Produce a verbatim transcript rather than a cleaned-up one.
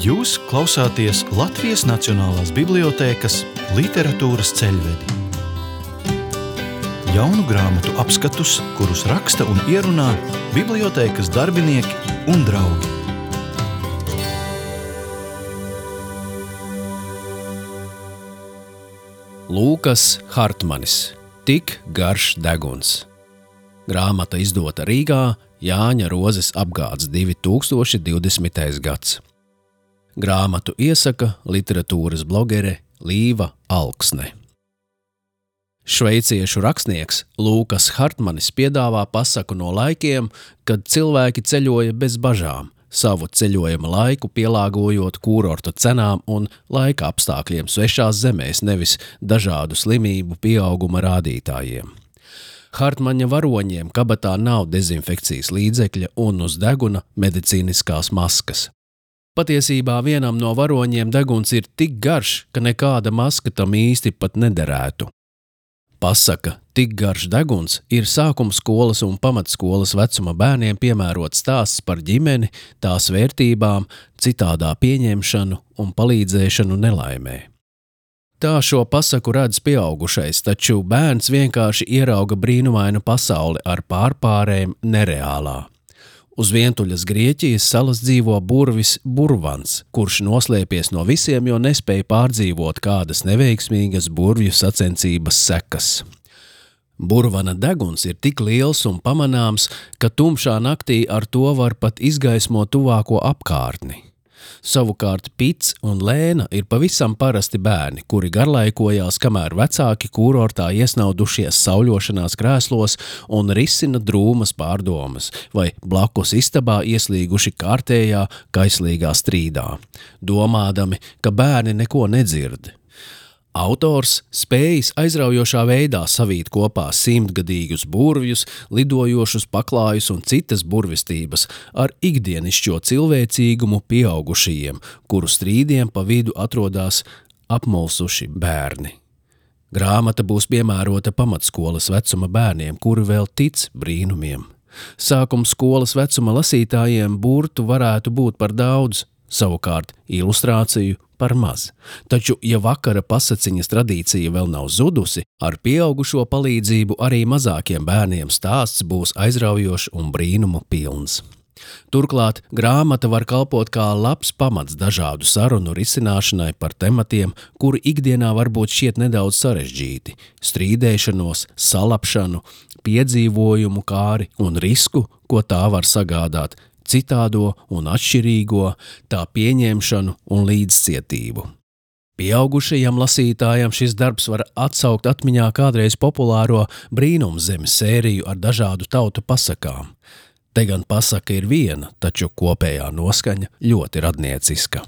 Jūs klausāties Latvijas Nacionālās bibliotēkas literatūras ceļvedi. Jaunu grāmatu apskatus, kurus raksta un ierunā bibliotēkas darbinieki un draugi. Lūkas Hartmanis. Tik garš deguns. Grāmata izdota Rīgā, Jāņa Rozes apgāds divi tūkstoši divdesmitais gads. Grāmatu iesaka literatūras blogere Līva Alksne. Šveiciešu rakstnieks Lūkas Hartmanis piedāvā pasaku no laikiem, kad cilvēki ceļoja bez bažām, savu ceļojuma laiku pielāgojot kūrorta cenām un laika apstākļiem svešās zemēs, nevis dažādu slimību pieauguma rādītājiem. Hartmaņa varoņiem kabatā nav dezinfekcijas līdzekļa un uz deguna medicīniskās maskas. Patiesībā vienam no varoņiem deguns ir tik garš, ka nekāda maska tam īsti pat nederētu. Pasaka Tik garš deguns ir sākuma skolas un pamatskolas vecuma bērniem piemērots stāsts par ģimeni, tās vērtībām, citādā pieņemšanu un palīdzēšanu nelaimē. Tā šo pasaku redz pieaugušais, taču bērns vienkārši ierauga brīnumainu pasauli ar pārpārēm nereālā. Uz vientuļas Grieķijas salas dzīvo burvis Burvans, kurš noslēpies no visiem, jo nespēja pārdzīvot kādas neveiksmīgas burvju sacensības sekas. Burvana deguns ir tik liels un pamanāms, ka tumšā naktī ar to var pat izgaismot tuvāko apkārtni. Savukārt Pits un Lēna ir pavisam parasti bērni, kuri garlaikojās, kamēr vecāki kūrortā iesnaudušies sauļošanās krēslos un risina drūmas pārdomas, vai blakus istabā ieslīguši kārtējā kaislīgā strīdā, domādami, ka bērni neko nedzird. Autors spējis aizraujošā veidā savīt kopā simtgadīgus burvjus, lidojošus paklājus un citas burvistības ar ikdienišķo cilvēcīgumu pieaugušajiem, kuru strīdiem pa vidu atrodās apmulsuši bērni. Grāmata būs piemērota pamatskolas vecuma bērniem, kuri vēl tic brīnumiem. Sākuma skolas vecuma lasītājiem burtu varētu būt par daudz, savukārt ilustrāciju par maz. Taču, ja vakara pasaciņas tradīcija vēl nav zudusi, ar pieaugušo palīdzību arī mazākiem bērniem stāsts būs aizraujošs un brīnumu pilns. Turklāt grāmata var kalpot kā labs pamats dažādu sarunu risināšanai par tematiem, kuri ikdienā varbūt šķiet nedaudz sarežģīti – strīdēšanos, salapšanu, piedzīvojumu kāri un risku, ko tā var sagādāt, citādo un atšķirīgo, tā pieņemšanu un līdzcietību. Pieaugušajam lasītājam šis darbs var atsaukt atmiņā kādreiz populāro Brīnumzemes sēriju ar dažādu tautu pasakām. Te gan pasaka ir viena, taču kopējā noskaņa ļoti radnieciska.